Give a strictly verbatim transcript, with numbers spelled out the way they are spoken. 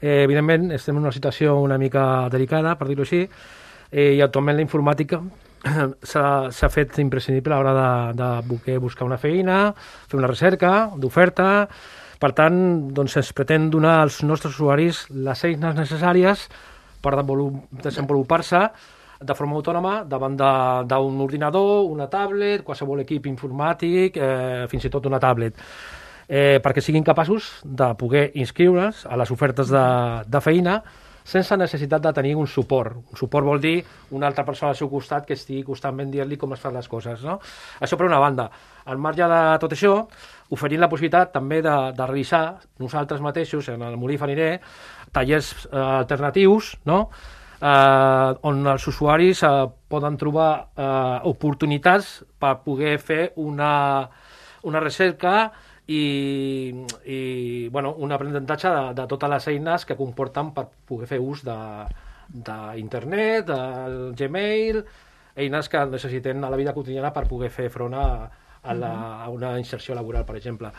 Eh, evidentment, estem en una situació una mica delicada, per dir-ho així, eh, i actualment la informàtica s'ha fet imprescindible a l'hora de, de voler buscar una feina, fer una recerca d'oferta. Per tant, doncs, es pretén donar als nostres usuaris les eines necessàries per desenvolupar-se de forma autònoma davant d'un ordinador, una tablet, qualsevol equip informàtic, eh, fins i tot una tablet, eh, perquè siguin capaços de poder inscriure's a les ofertes de, de feina sense necessitat de tenir un suport. Un suport vol dir una altra persona al seu costat que estigui constantment dient-li com es fan les coses, no? Això per una banda. Al marge de tot això, oferint la possibilitat també de, de realitzar nosaltres mateixos, en el Molí Fenirer, tallers eh, alternatius, no?, eh, on els usuaris eh, poden trobar eh, oportunitats per poder fer una, una recerca i, i bueno, un aprenentatge de, de totes les eines que comporten per poder fer ús d'internet, de, del Gmail, eines que necessitem a la vida quotidiana per poder fer front a, a, la, a una inserció laboral, per exemple.